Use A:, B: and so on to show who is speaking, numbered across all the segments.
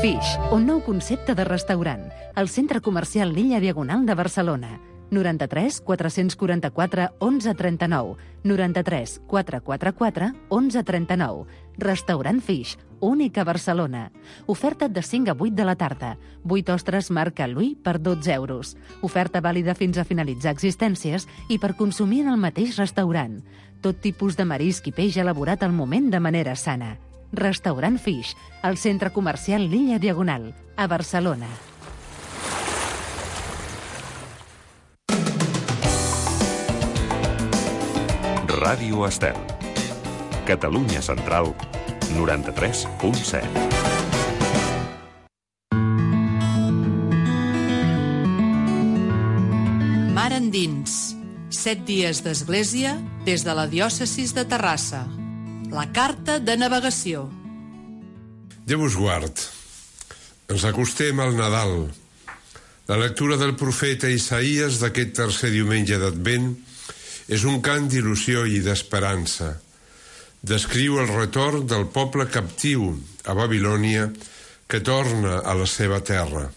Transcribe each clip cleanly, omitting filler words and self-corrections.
A: Fish, un nou concepte de restaurant. Al centre comercial Lilla Diagonal de Barcelona. 93 444 1139. 93 444 1139. Restaurant Fish, únic a Barcelona. Oferta de 5 a 8 de la tarda. 8 ostres marca Louis per 12 euros. Oferta vàlida fins a finalitzar existències i per consumir en el mateix restaurant. Tot tipus de marisc i peix elaborat al moment de manera sana. Restaurant Fish, al centre comercial Lilla Diagonal, a Barcelona.
B: Ràdio Estel. Catalunya Central, 93.7.
C: Mar endins. 7 dies d'església des de la diòcesis de Terrassa. La carta de navegació.
D: Déu us guard. Ens acostem al Nadal. La lectura del profeta Isaïes d'aquest tercer diumenge d'Advent és un cant d'il·lusió i d'esperança. Descriu el retorn del poble captiu a Babilònia que torna a la seva terra.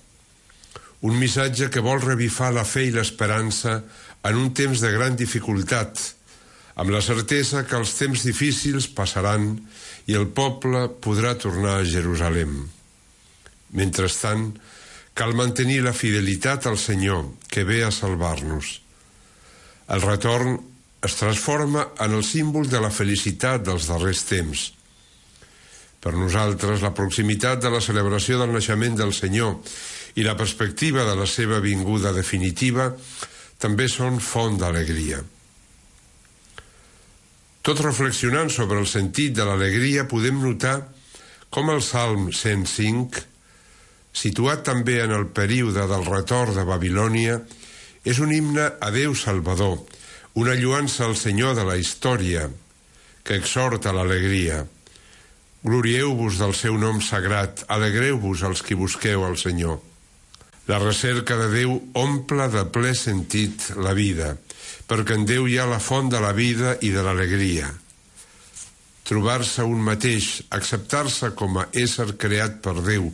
D: Un missatge que vol revifar la fe i l'esperança en un temps de gran dificultat, amb la certesa que els temps difícils passaran i el poble podrà tornar a Jerusalem. Mentrestant, cal mantenir la fidelitat al Senyor, que ve a salvar-nos. El retorn es transforma en el símbol de la felicitat dels darrers temps. Per nosaltres, la proximitat de la celebració del naixement del Senyor i la perspectiva de la seva vinguda definitiva també són font d'alegria. Tot reflexionant sobre el sentit de l'alegria, podem notar com el Salm 105, situat també en el període del retorn de Babilònia, és un himne a Déu Salvador, una lloança al Senyor de la història, que exhorta l'alegria. Glorieu-vos del seu nom sagrat, alegreu-vos els qui busqueu al Senyor. La recerca de Déu omple de ple sentit la vida, perquè en Déu hi ha la font de la vida i de l'alegria. Trobar-se un mateix, acceptar-se com a ésser creat per Déu,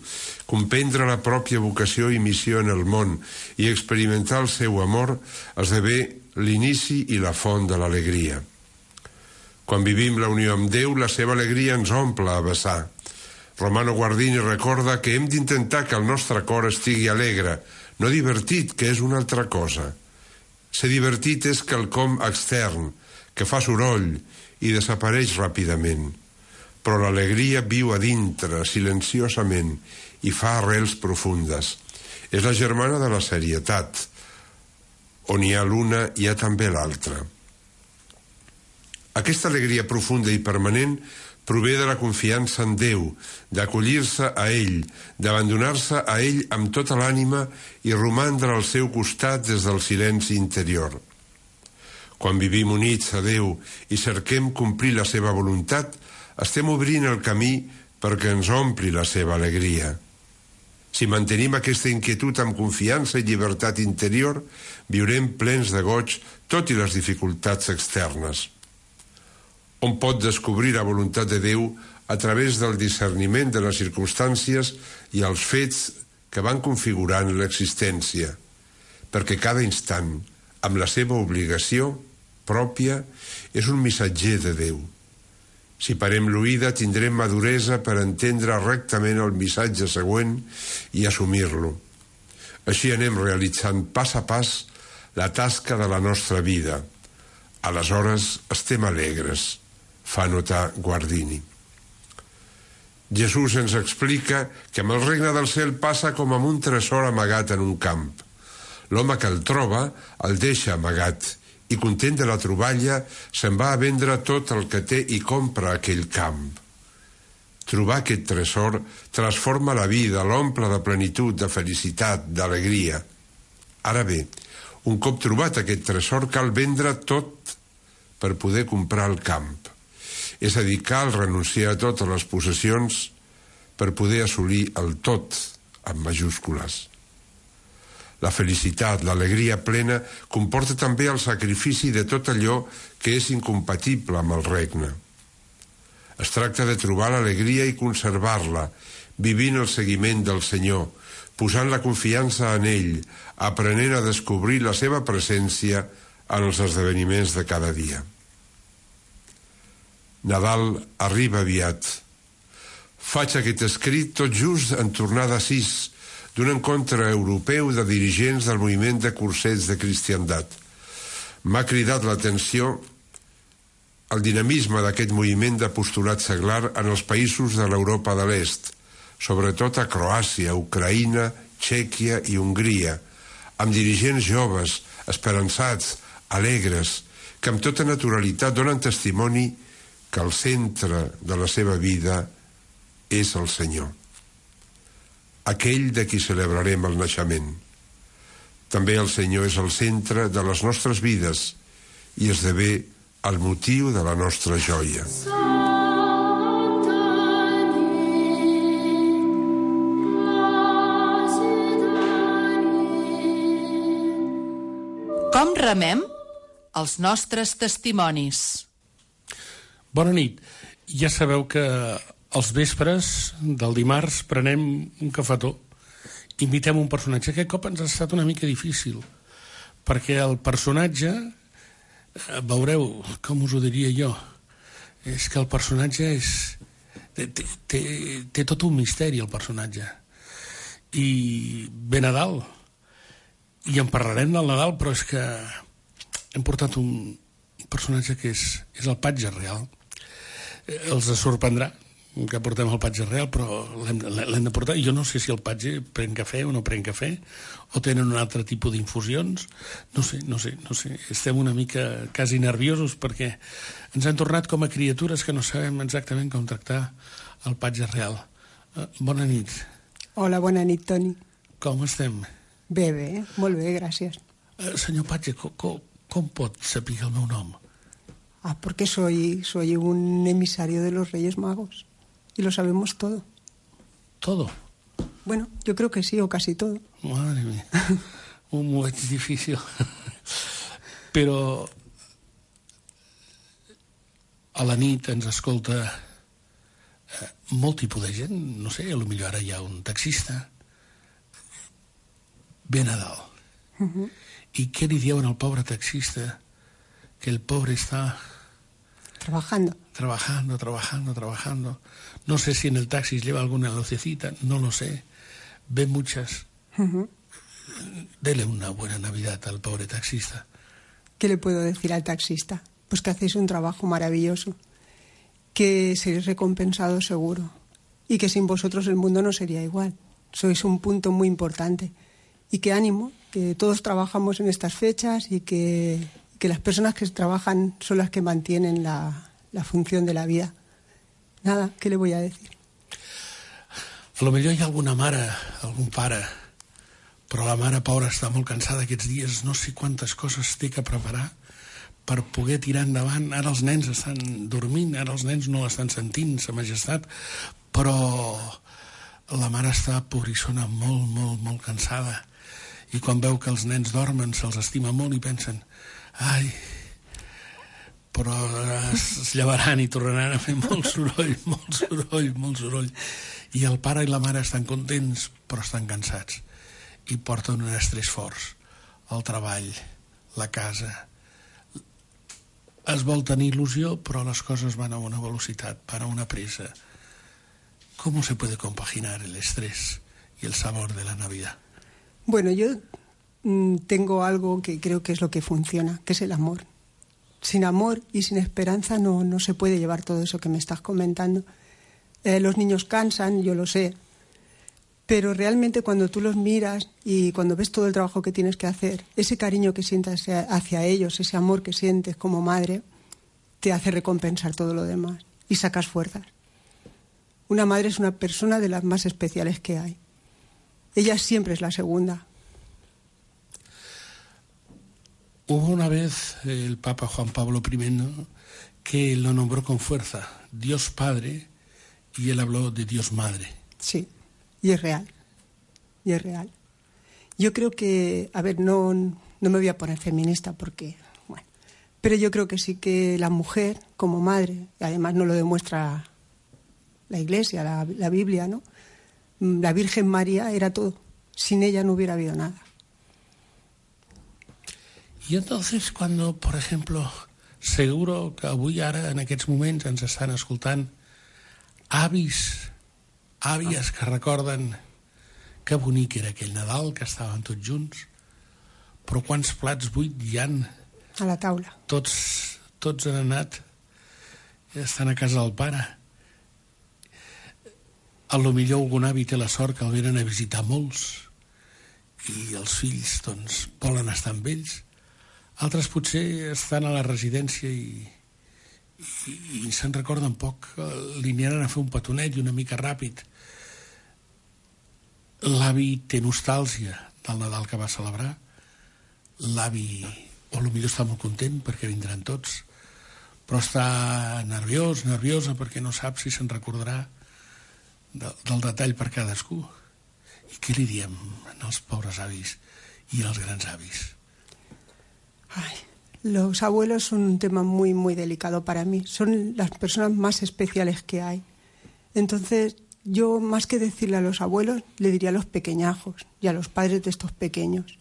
D: comprendre la pròpia vocació i missió en el món i experimentar el seu amor esdevé l'inici i la font de l'alegria. Quan vivim la unió amb Déu, la seva alegria ens omple a vessar. Romano Guardini recorda que hem d'intentar que el nostre cor estigui alegre, no divertit, que és una altra cosa. Ser divertit és quelcom extern, que fa soroll i desapareix ràpidament. Però l'alegria viu a dintre, silenciosament, i fa arrels profundes. És la germana de la serietat. On hi ha l'una, hi ha també l'altra. Aquesta alegria profunda i permanent prové de la confiança en Déu, d'acollir-se a ell, d'abandonar-se a ell amb tota l'ànima i romandre al seu costat des del silenci interior. Quan vivim units a Déu i cerquem complir la seva voluntat, estem obrint el camí perquè ens ompli la seva alegria. Si mantenim aquesta inquietud amb confiança i llibertat interior, viurem plens de goig tot i les dificultats externes. On pot descobrir la voluntat de Déu a través del discerniment de les circumstàncies i els fets que van configurant l'existència, perquè cada instant, amb la seva obligació pròpia, és un missatger de Déu. Si parem l'oïda, tindrem maduresa per entendre rectament el missatge següent i assumir-lo. Així anem realitzant pas a pas la tasca de la nostra vida. Aleshores estem alegres, fa notar Guardini. Jesús ens explica que amb el regne del cel passa com amb un tresor amagat en un camp. L'home que el troba el deixa amagat i, content de la troballa, se'n va a vendre tot el que té i compra aquell camp. Trobar aquest tresor transforma la vida, l'omple de plenitud, de felicitat, d'alegria. Ara bé, un cop trobat aquest tresor, cal vendre tot per poder comprar el camp. És a dir, cal renunciar a totes les possessions per poder assolir el tot, amb majúscules. La felicitat, l'alegria plena, comporta també el sacrifici de tot allò que és incompatible amb el regne. Es tracta de trobar l'alegria i conservar-la, vivint el seguiment del Senyor, posant la confiança en ell, aprenent a descobrir la seva presència en els esdeveniments de cada dia. Nadal arriba aviat. Faig aquest escrit tot just en tornada 6 d'un encontre europeu de dirigents del moviment de cursets de cristiandat. M'ha cridat l'atenció el dinamisme d'aquest moviment d'apostolat seglar en els països de l'Europa de l'Est, sobretot a Croàcia, Ucraïna, Txèquia i Hongria, amb dirigents joves, esperançats, alegres, que amb tota naturalitat donen testimoni que el centre de la seva vida és el Senyor, aquell de qui celebrarem el naixement. També el Senyor és el centre de les nostres vides i esdevé el motiu de la nostra joia.
C: Com remem els nostres testimonis?
E: Bona nit. Ja sabeu que als vespres del dimarts prenem un cafetó, invitem un personatge. Aquest cop ens ha estat una mica difícil, perquè el personatge, veureu, com us ho diria jo, és que el personatge té tot un misteri, el personatge. I ve Nadal, i en parlarem del Nadal, però és que hem portat un personatge que és el Patge Real. Els sorprendrà que portem el Patge Real, però l'hem de portar. Jo no sé si el Patge pren cafè o no pren cafè, o tenen un altre tipus d'infusions. No sé. Estem una mica quasi nerviosos perquè ens han tornat com a criatures que no sabem exactament com tractar el Patge Real. Bona nit.
F: Hola, bona nit, Toni.
E: Com estem?
F: Bé, molt bé, gràcies.
E: Senyor Patge, com pot saber el meu nom?
F: Porque soy un emisario de los Reyes Magos y lo sabemos todo.
E: ¿Todo?
F: Bueno, yo creo que sí, o casi todo.
E: Madre mía, muy difícil. Però a la nit ens escolta molt tipus de gent, no sé, potser ara hi ha un taxista. Ve Nadal. I què li diuen al pobre taxista? Que el pobre está
F: trabajando.
E: No sé si en el taxi lleva alguna lucecita, no lo sé. Ve muchas. Dele una buena Navidad al pobre taxista.
F: ¿Qué le puedo decir al taxista? Pues que hacéis un trabajo maravilloso, que seréis recompensados seguro, y que sin vosotros el mundo no sería igual. Sois un punto muy importante. Y que ánimo, que todos trabajamos en estas fechas y que las personas que trabajan son las que mantienen la función de la vida. Nada, ¿qué le voy a decir?
E: A lo millor hi ha alguna mare, algun pare, però la mare pobra està molt cansada aquests dies, no sé quantes coses té que preparar per poder tirar endavant. Ara els nens estan dormint, ara els nens no l'estan sentint, sa majestat, però la mare està pobrissona molt cansada, i quan veu que els nens dormen se'ls estima molt i pensen: ai, però es llevaran i tornaran a fer molt soroll. I el pare i la mare estan contents, però estan cansats. I porten un estrès forts. El treball, la casa. Es vol tenir il·lusió, però les coses van a una velocitat, van a una pressa. ¿Cómo se puede compaginar el estrés y el sabor de la Navidad?
F: Bueno, yo tengo algo que creo que es lo que funciona, que es el amor. Sin amor y sin esperanza no se puede llevar todo eso que me estás comentando. Los niños cansan, yo lo sé, pero realmente cuando tú los miras y cuando ves todo el trabajo que tienes que hacer, ese cariño que sientas hacia ellos, ese amor que sientes como madre, te hace recompensar todo lo demás y sacas fuerzas. Una madre es una persona de las más especiales que hay. Ella siempre es la segunda.
E: Hubo una vez el Papa Juan Pablo I que lo nombró con fuerza Dios Padre, y él habló de Dios Madre.
F: Sí, y es real. Yo creo que, no me voy a poner feminista porque, bueno, pero yo creo que sí que la mujer como madre, y además no lo demuestra la Iglesia, la Biblia, ¿no? La Virgen María era todo. Sin ella no hubiera habido nada.
E: I entonces, cuando, por ejemplo, seguro que avui ara, en aquests moments, ens estan escoltant avis, àvies que recorden que bonic era aquell Nadal, que estaven tots junts, però quants plats buits hi han?
F: A la taula.
E: Tots han anat, estan a casa del pare. A lo millor algun avi té la sort que el venen a visitar molts i els fills doncs volen estar amb ells. Altres potser estan a la residència i se'n recorden poc, li aniran a fer un petonet i una mica ràpid. L'avi té nostàlgia del Nadal que va celebrar, l'avi o potser està molt content perquè vindran tots, però està nerviosa perquè no sap si se'n recordarà del detall per cadascú. I què li diem als pobres avis i als grans avis?
F: Ay, los abuelos son un tema muy, muy delicado para mí. Son las personas más especiales que hay. Entonces, yo más que decirle a los abuelos, le diría a los pequeñajos y a los padres de estos pequeños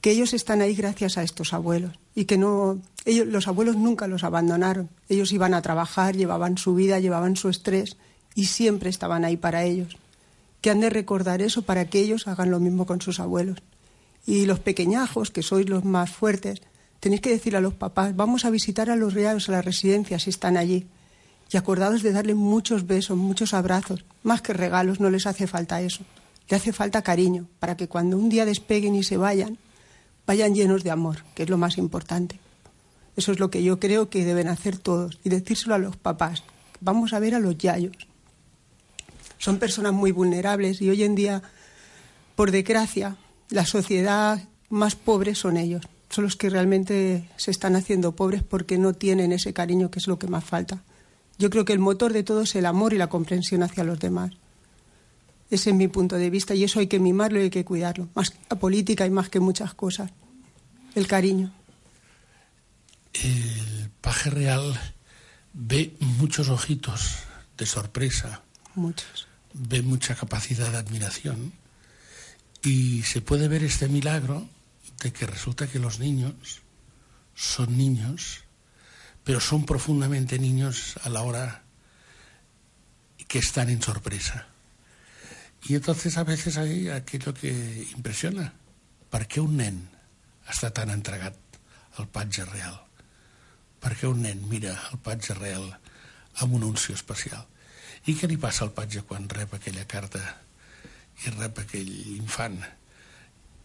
F: que ellos están ahí gracias a estos abuelos y que los abuelos nunca los abandonaron. Ellos iban a trabajar, llevaban su vida, llevaban su estrés y siempre estaban ahí para ellos. Que han de recordar eso para que ellos hagan lo mismo con sus abuelos. Y los pequeñajos, que sois los más fuertes, tenéis que decir a los papás, vamos a visitar a los reales, a las residencias si están allí. Y acordados de darle muchos besos, muchos abrazos. Más que regalos, no les hace falta eso. Le hace falta cariño, para que cuando un día despeguen y se vayan llenos de amor, que es lo más importante. Eso es lo que yo creo que deben hacer todos. Y decírselo a los papás. Vamos a ver a los yayos. Son personas muy vulnerables y hoy en día, por desgracia, la sociedad más pobre son ellos. Son los que realmente se están haciendo pobres porque no tienen ese cariño que es lo que más falta. Yo creo que el motor de todo es el amor y la comprensión hacia los demás. Ese es mi punto de vista y eso hay que mimarlo y hay que cuidarlo. Más que la política y más que muchas cosas. El cariño.
E: El paje real ve muchos ojitos de sorpresa.
F: Muchos.
E: Ve mucha capacidad de admiración y se puede ver este milagro de que resulta que los niños son niños, pero son profundamente niños a la hora que están en sorpresa. Y entonces a veces hay aquello que impressiona. Per què un nen està tan entregat al patge real? Per què un nen mira el patge real amb una unció especial? I què li passa al patge quan rep aquella carta i rep aquell infant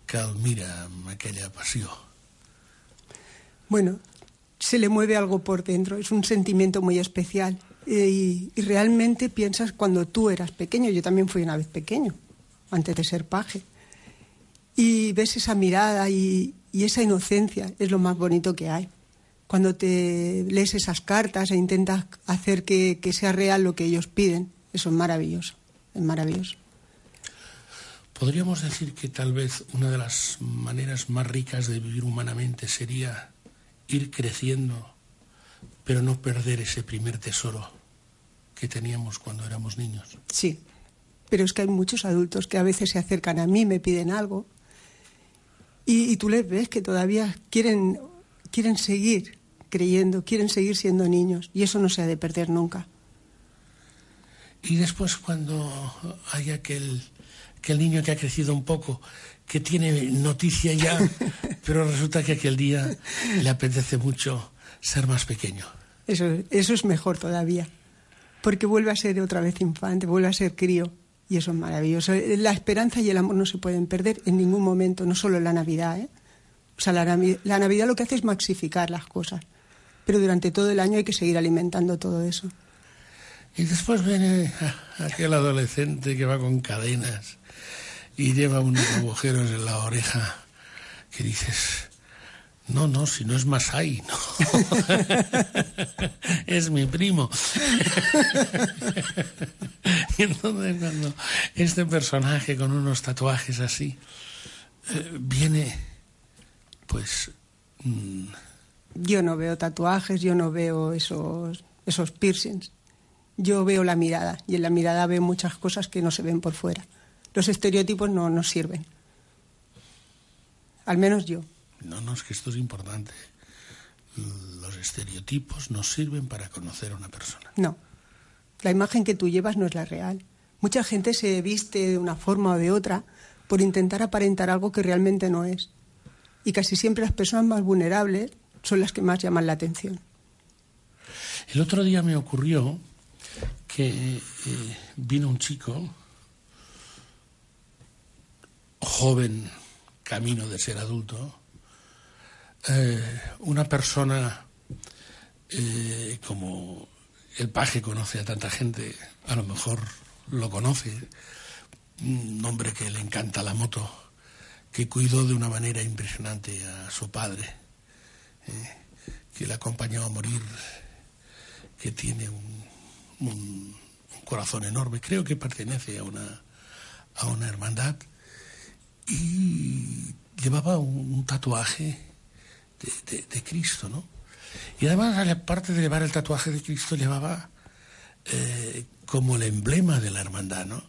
E: que el mira amb aquella passió?
F: Bueno, se le mueve algo por dentro, es un sentimiento muy especial. Y realmente piensas cuando tú eras pequeño, yo también fui una vez pequeño, antes de ser paje, y ves esa mirada y esa inocencia, es lo más bonito que hay. Cuando te lees esas cartas e intentas hacer que sea real lo que ellos piden, eso es maravilloso, es maravilloso.
E: Podríamos decir que tal vez una de las maneras más ricas de vivir humanamente sería ir creciendo, pero no perder ese primer tesoro que teníamos cuando éramos niños.
F: Sí, pero es que hay muchos adultos que a veces se acercan a mí, me piden algo, y tú les ves que todavía quieren seguir creyendo, quieren seguir siendo niños, y eso no se ha de perder nunca.
E: Y después cuando hay aquel niño que ha crecido un poco, que tiene noticia ya, pero resulta que aquel día le apetece mucho ser más pequeño.
F: Eso es mejor todavía, porque vuelve a ser otra vez infante, vuelve a ser crío, y eso es maravilloso. La esperanza y el amor no se pueden perder en ningún momento, no solo en la Navidad, ¿eh? O sea, la Navidad lo que hace es maxificar las cosas, pero durante todo el año hay que seguir alimentando todo eso.
E: Y después viene aquel adolescente que va con cadenas y lleva unos agujeros en la oreja que dices... No, si no es Masai, no. Es mi primo. Y entonces cuando este personaje con unos tatuajes así viene, pues...
F: Yo no veo tatuajes, yo no veo esos piercings. yo veo la mirada, y en la mirada veo muchas cosas que no se ven por fuera. Los estereotipos no nos sirven. Al menos yo.
E: No, es que esto es importante. Los estereotipos no sirven para conocer a una persona.
F: No. La imagen que tú llevas no es la real. Mucha gente se viste de una forma o de otra por intentar aparentar algo que realmente no es. Y casi siempre las personas más vulnerables son las que más llaman la atención.
E: El otro día me ocurrió que vino un chico, joven, camino de ser adulto, una persona como el paje conoce a tanta gente, a lo mejor lo conoce, un hombre que le encanta la moto, que cuidó de una manera impresionante a su padre, que le acompañó a morir, que tiene un corazón enorme, creo que pertenece a una hermandad, y llevaba un tatuaje de Cristo, ¿no? Y además, aparte de llevar el tatuaje de Cristo, llevaba como el emblema de la hermandad, ¿no?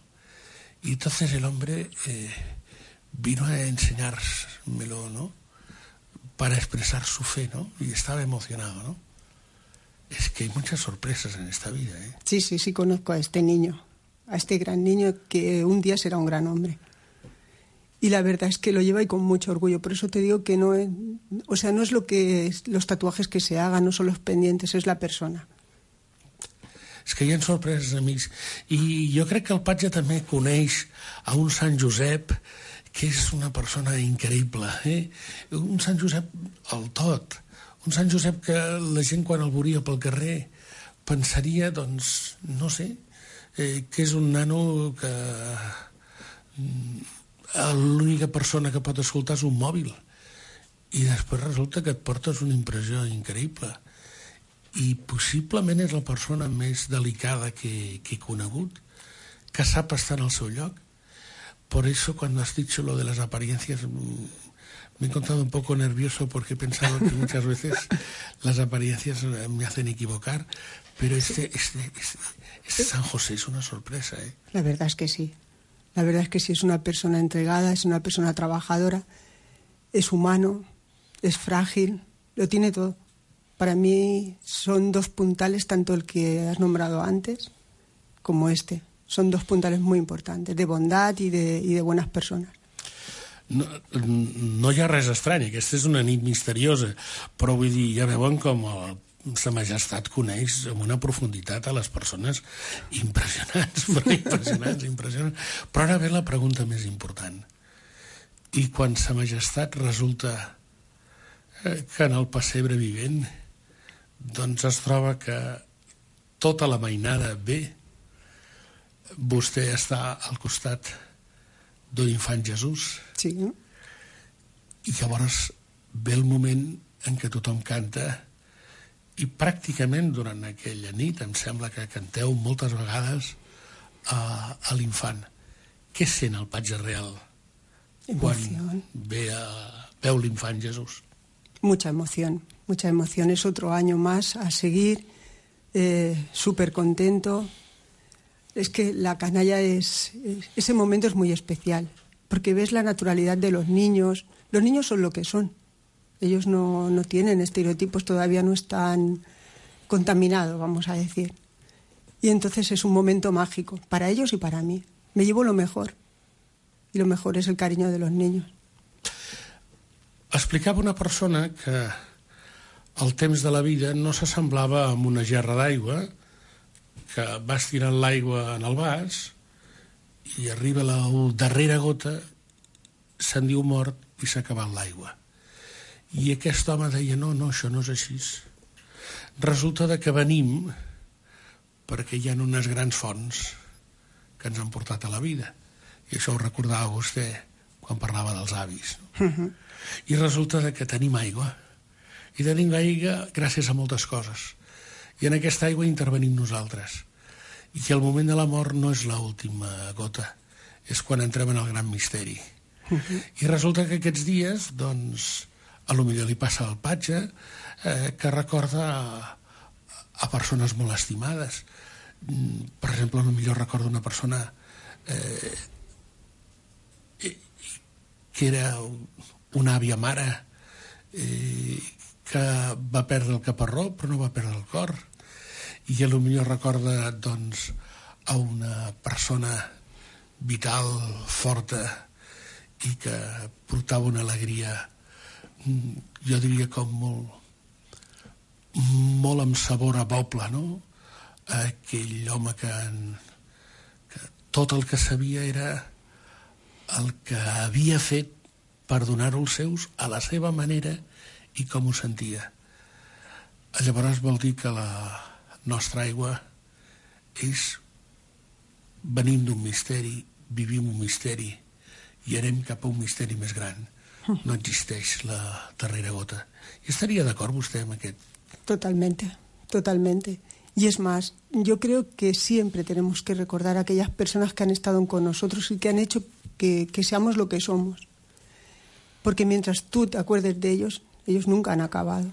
E: Y entonces el hombre vino a enseñármelo, ¿no? Para expresar su fe, ¿no? Y estaba emocionado, ¿no? Es que hay muchas sorpresas en esta vida, ¿eh?
F: Sí, conozco a este niño, a este gran niño que un día será un gran hombre. Y la verdad es que lo lleva y con mucho orgullo. Por eso te digo que no es, o sea, no es lo que es los tatuajes que se hagan, no son los pendientes, es la persona.
E: És que hi ha sorpreses, amics. I jo crec que el Patge també coneix a un Sant Josep que és una persona increïble, un Sant Josep al tot, un Sant Josep que la gent quan el veuria pel carrer pensaria, doncs, no sé, que és un nano que l'única persona que pot escoltar és un mòbil, i després resulta que et portes una impressió increïble. I possiblement és la persona més delicada que he conegut, que sap estar en el seu lloc. Por eso cuando has dicho lo de las apariencias me he encontrado un poco nervioso porque he pensado que muchas veces las apariencias me hacen equivocar, pero este San José es una sorpresa, ¿eh?
F: La verdad es que sí. La verdad es que sí, es una persona entregada, es una persona trabajadora, es humano, es frágil, lo tiene todo. Para mí son dos puntales, tanto el que has nombrado antes como este. Son dos puntales muy importantes, de bondad y de buenas personas.
E: No hi ha res estrany, aquesta és una nit misteriosa, però vull dir, ja veuen com Sa Majestat coneix amb una profunditat a les persones impressionants, impressionants. Però ara ve la pregunta més important. I quan Sa Majestat resulta que en el pessebre vivent doncs es troba que tota la mainada ve, vostè està al costat d'un infant Jesús.
F: Sí, no?
E: I llavors ve el moment en què tothom canta i pràcticament durant aquella nit em sembla que canteu moltes vegades a l'infant. Què sent el Patge Real quan veu l'infant Jesús?
F: Mucha emoción. Es otro año más a seguir, súper contento. Es que la canalla ese momento es muy especial, porque ves la naturalidad de los niños. Los niños son lo que son. Ellos no tienen estereotipos, todavía no están contaminados, vamos a decir. Y entonces es un momento mágico, para ellos y para mí. Me llevo lo mejor, y lo mejor es el cariño de los niños.
E: Explicava una persona que el temps de la vida no s'assemblava amb una gerra d'aigua, que vas tirant l'aigua en el vas i arriba la darrera gota, se'n diu mort i s'ha acabat l'aigua. I aquest home deia, no, això no és així. Resulta que venim perquè hi ha unes grans fonts que ens han portat a la vida. I això ho recordava vostè quan parlava dels avis. I resulta que tenim aigua. I tenim aigua gràcies a moltes coses. I en aquesta aigua intervenim nosaltres. I el moment de la mort no és l'última gota, és quan entrem en el gran misteri. I resulta que aquests dies, doncs, a lo millor li passa al Patge, que recorda a persones molt estimades. Per exemple, potser recordo una persona que era una àvia mare que va perdre el caparró però no va perdre el cor, i potser recorda doncs a una persona vital, forta, i que portava una alegria, jo diria com molt amb sabor a poble, no? Aquell home que tot el que sabia era el que havia fet per donar-ho als seus a la seva manera i com ho sentia. Llavors vol dir que la nostra aigua venim d'un misteri, vivim un misteri i anem cap a un misteri més gran. No existeix la darrera gota. I estaria d'acord vostè amb aquest?
F: Totalmente, totalmente. Y es más, yo creo que siempre tenemos que recordar a aquellas personas que han estado con nosotros y que han hecho que seamos lo que somos. Porque mientras tú te acuerdes de ellos, ellos nunca han acabado,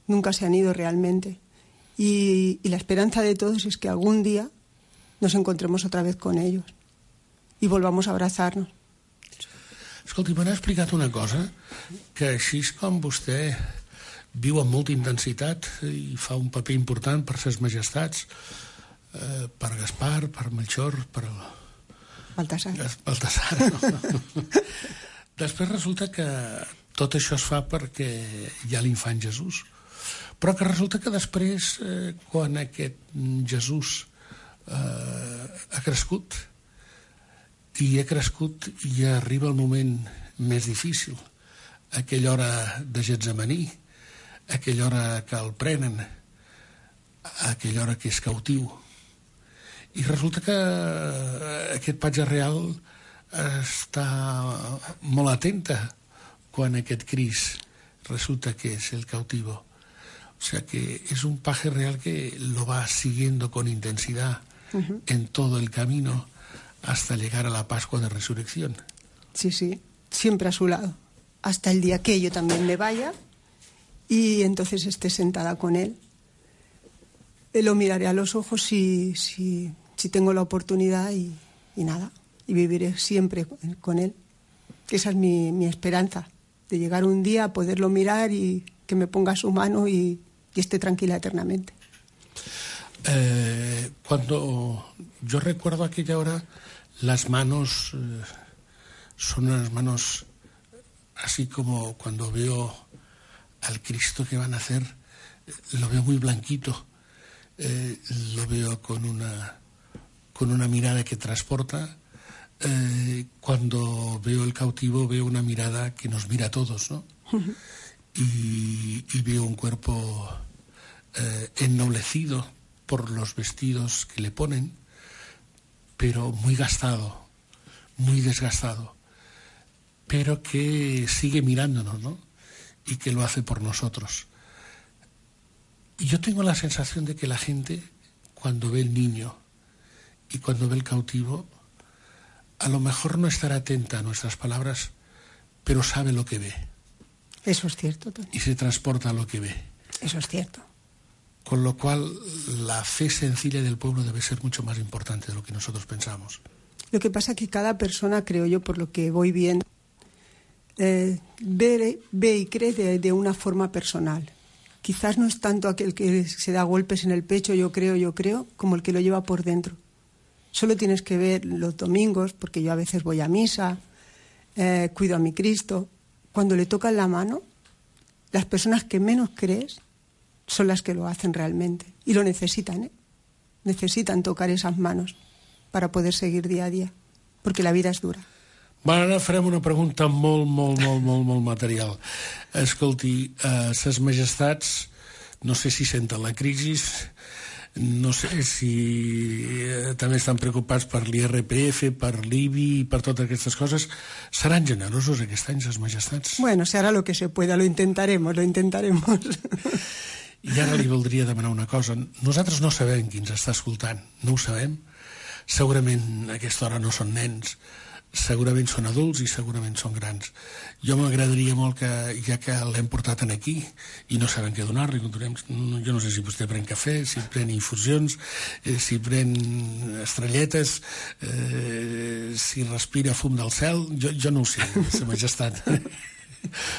F: nunca se han ido realmente. Y la esperanza de todos es que algún día nos encontremos otra vez con ellos y volvamos a abrazarnos.
E: Escolti, m'ha explicat una cosa, que així com vostè viu amb molta intensitat i fa un paper important per ses majestats, per Gaspar, per Melchor, per
F: Baltasar.
E: No? Després resulta que tot això es fa perquè hi ha l'infant Jesús, però que resulta que després, quan aquest Jesús ha crescut i arriba el moment més difícil, aquella hora de Getsemaní, aquella hora que el prenen, aquella hora que és cautiu, i resulta que aquest patge real està molt atenta quan aquest Crist resulta que es el cautivo. O sea que es un paje real que lo va siguiendo con intensidad en todo el camino hasta llegar a la Pascua de Resurrección.
F: Sí, sí, siempre a su lado, hasta el día que yo también me vaya y entonces esté sentada con él. Lo miraré a los ojos si tengo la oportunidad y nada, y viviré siempre con él. Esa es mi esperanza, de llegar un día a poderlo mirar y que me ponga su mano y esté tranquila eternamente.
E: Cuando yo recuerdo aquella hora, las manos son unas manos así como cuando veo al Cristo que van a hacer, lo veo muy blanquito, lo veo con una mirada que transporta. Cuando veo el cautivo veo una mirada que nos mira a todos, ¿no? Y veo un cuerpo ennoblecido por los vestidos que le ponen, pero muy gastado, muy desgastado, pero que sigue mirándonos, ¿no? Y que lo hace por nosotros. Y yo tengo la sensación de que la gente, cuando ve el niño y cuando ve el cautivo, a lo mejor no estará atenta a nuestras palabras, pero sabe lo que ve.
F: Eso es cierto, Tony.
E: Y se transporta a lo que ve.
F: Eso es cierto.
E: Con lo cual, la fe sencilla del pueblo debe ser mucho más importante de lo que nosotros pensamos.
F: Lo que pasa es que cada persona, creo yo, por lo que voy viendo, ve y cree de una forma personal. Quizás no es tanto aquel que se da golpes en el pecho, yo creo, como el que lo lleva por dentro. Solo tienes que ver los domingos, porque yo a veces voy a misa, cuido a mi Cristo. Cuando le tocan la mano, las personas que menos crees son las que lo hacen realmente. Y lo necesitan, Necesitan tocar esas manos para poder seguir día a día, porque la vida és dura.
E: Bueno, ara farem una pregunta molt material. Escolti, ses majestats, no sé si senten la crisi, no sé si també estan preocupats per l'IRPF, per l'IBI i per totes aquestes coses. Seran generosos aquest any, ses majestats?
F: Bueno, se hará lo que se pueda, lo intentaremos.
E: I ara li voldria demanar una cosa. Nosaltres no sabem qui ens està escoltant, no ho sabem. Segurament a aquesta hora no són nens, segurament són adults i segurament són grans. Jo m'agradaria molt que, ja que l'hem portat aquí i no sabem què donar-li, jo no sé si vostè pren cafè, si pren infusions, si pren estrelletes, si respira fum del cel, jo no ho sé, Sa Majestat.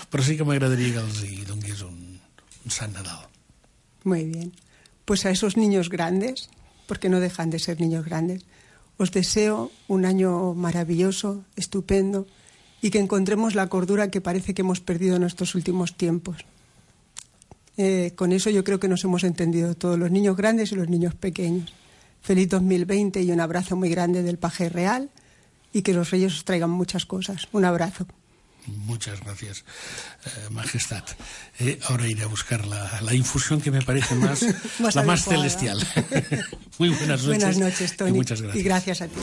E: Però sí que m'agradaria que els hi donés un Sant Nadal.
F: Muy bien. Pues a esos niños grandes, porque no dejan de ser niños grandes, os deseo un año maravilloso, estupendo, y que encontremos la cordura que parece que hemos perdido en estos últimos tiempos. Con eso yo creo que nos hemos entendido todos, los niños grandes y los niños pequeños. Feliz 2020 y un abrazo muy grande del Paje Real, y que los reyes os traigan muchas cosas. Un abrazo.
E: Muchas gracias, Majestad. Ahora iré a buscar la infusión que me parece más la más celestial. Muy buenas noches.
F: Buenas noches, Toni.
E: Y muchas gracias.
F: Y gracias a ti.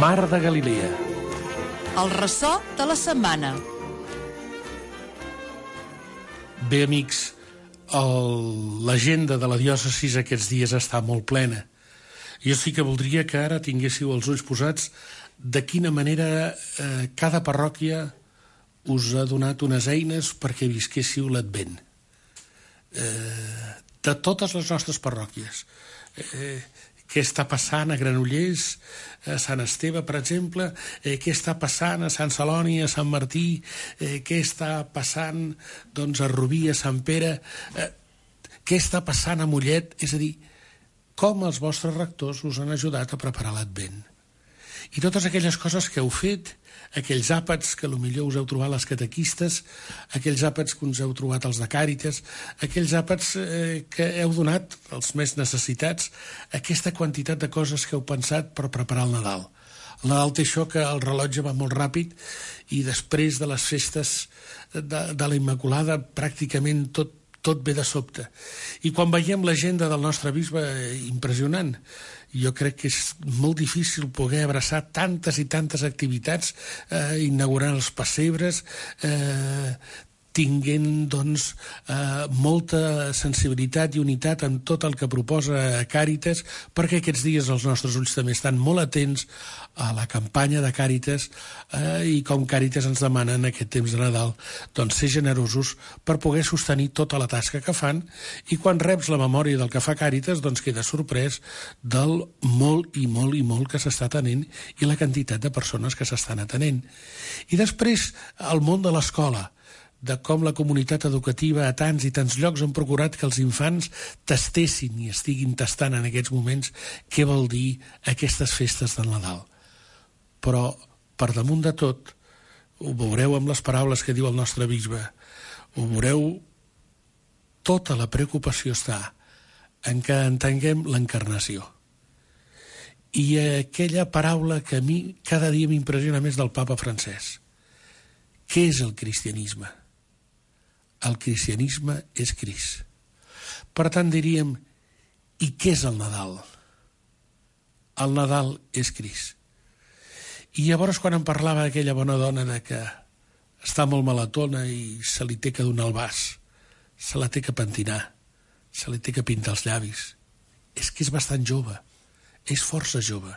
E: Mar de Galilea.
C: El ressò de la setmana.
E: Bé, amics, l'agenda de la diòcesis aquests dies està molt plena. Jo sí que voldria que ara tinguéssiu els ulls posats de quina manera cada parròquia us ha donat unes eines perquè visquéssiu l'Advent. De totes les nostres parròquies. Què està passant a Granollers, a Sant Esteve, per exemple, què està passant a Sant Celoni, a Sant Martí, què està passant doncs, a Rubí, a Sant Pere, què està passant a Mollet, és a dir, com els vostres rectors us han ajudat a preparar l'Advent. I totes aquelles coses que heu fet, aquells àpats que potser us heu trobat les catequistes, aquells àpats que us heu trobat els de Càritas, aquells àpats que heu donat als més necessitats, aquesta quantitat de coses que heu pensat per preparar el Nadal. El Nadal té això que el rellotge va molt ràpid i després de les festes de la Immaculada pràcticament tot ve de sobte. I quan veiem l'agenda del nostre bisbe, impressionant. Jo crec que és molt difícil poder abraçar tantes i tantes activitats, inaugurant els pessebres, tinguent doncs, molta sensibilitat i unitat en tot el que proposa Càritas, perquè aquests dies els nostres ulls també estan molt atents a la campanya de Càritas i com Càritas ens demana en aquest temps de Nadal doncs, ser generosos per poder sostenir tota la tasca que fan, i quan reps la memòria del que fa Càritas doncs queda sorprès del molt i molt i molt que s'està atenent i la quantitat de persones que s'estan atenent. I després el món de l'escola, de com la comunitat educativa a tants i tants llocs han procurat que els infants tastessin i estiguin tastant en aquests moments què vol dir aquestes festes del Nadal. Però, per damunt de tot, ho veureu amb les paraules que diu el nostre bisbe, ho veureu, tota la preocupació està en que entenguem l'encarnació. I aquella paraula que a mi cada dia m'impressiona més del papa Francesc. Què és el cristianisme? El cristianisme és Crist. Per tant, diríem, i què és el Nadal? El Nadal és Crist. I llavors, quan em parlava aquella bona dona de que està molt malatona i se li té que donar el vas, se la té que pentinar, se li té que pintar els llavis, és que és bastant jove, és força jove,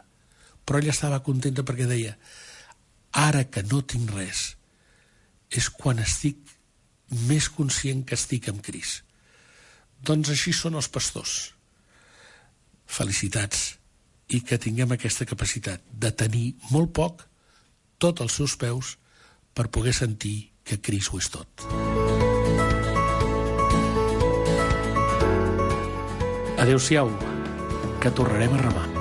E: però ella estava contenta perquè deia, ara que no tinc res, és quan estic més conscient que estic amb Crist. Doncs així són els pastors. Felicitats, i que tinguem aquesta capacitat de tenir molt poc, tot als seus peus, per poder sentir que Crist ho és tot. Adéu-siau, que tornarem a remar.